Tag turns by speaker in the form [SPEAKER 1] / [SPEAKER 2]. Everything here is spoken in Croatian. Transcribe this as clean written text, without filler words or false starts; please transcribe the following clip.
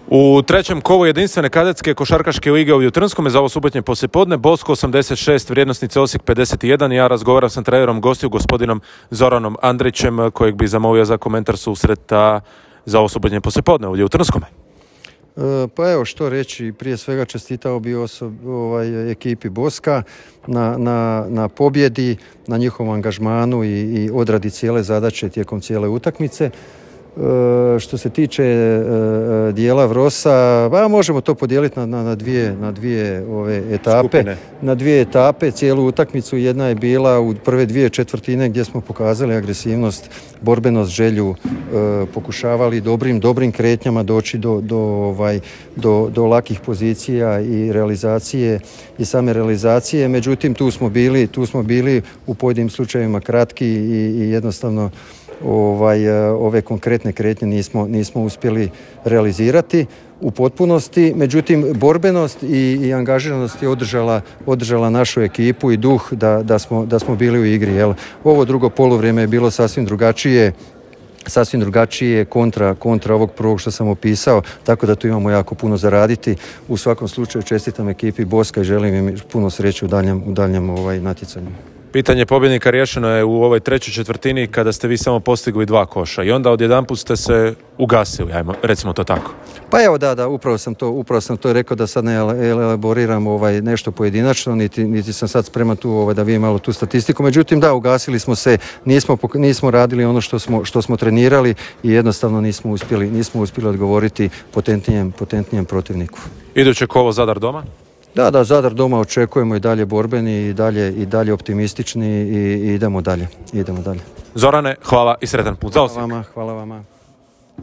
[SPEAKER 1] U trećem kolu jedinstvene kadetske košarkaške lige ovdje u Trnskome za ovo subotnje poslijepodne Bosko 86, vrijednosnice Osijek 51. Ja razgovaram sa trenerom gostiju gospodinom Zoranom Andrićem kojeg bi zamolio za komentar susreta za ovo subotnje poslijepodne ovdje u Trnskome.
[SPEAKER 2] Pa evo što reći, prije svega čestitao bi ekipi Boska na pobjedi, na njihovom angažmanu i odradi cijele zadaće tijekom cijele utakmice. Što se tiče dijela Vrosa, možemo to podijeliti na dvije etape.
[SPEAKER 1] Skupine.
[SPEAKER 2] Na dvije etape, cijelu utakmicu. Jedna je bila u prve dvije četvrtine gdje smo pokazali agresivnost, borbenost, želju, pokušavali dobrim kretnjama doći do lakih pozicija i realizacije i same realizacije. Međutim, tu smo bili u pojedinim slučajevima kratki i jednostavno ove konkretne kretnje nismo uspjeli realizirati u potpunosti. Međutim, borbenost i angažiranost je održala našu ekipu i duh da smo bili u igri. Ovo drugo poluvrijeme je bilo sasvim drugačije kontra ovog prvog što sam opisao, tako da tu imamo jako puno zaraditi. U svakom slučaju čestitam ekipi Boska i želim im puno sreće u daljem natjecanju.
[SPEAKER 1] Pitanje pobjednika riješeno je u ovoj trećoj četvrtini kada ste vi samo postigli 2 koša i onda odjedanput ste se ugasili, recimo to tako.
[SPEAKER 2] Pa evo da, upravo sam to rekao da sad ne elaboriram nešto pojedinačno, niti sam sad spreman tu da vidim malo tu statistiku. Međutim, da, ugasili smo se, nismo radili ono što smo trenirali i jednostavno nismo uspjeli odgovoriti potentnijem protivniku.
[SPEAKER 1] Iduće kolo Zadar doma?
[SPEAKER 2] Da, Zadar doma očekujemo i dalje borbeni i dalje optimistični i idemo dalje.
[SPEAKER 1] Zorane, hvala i sretan put za Osijek.
[SPEAKER 2] Hvala vama.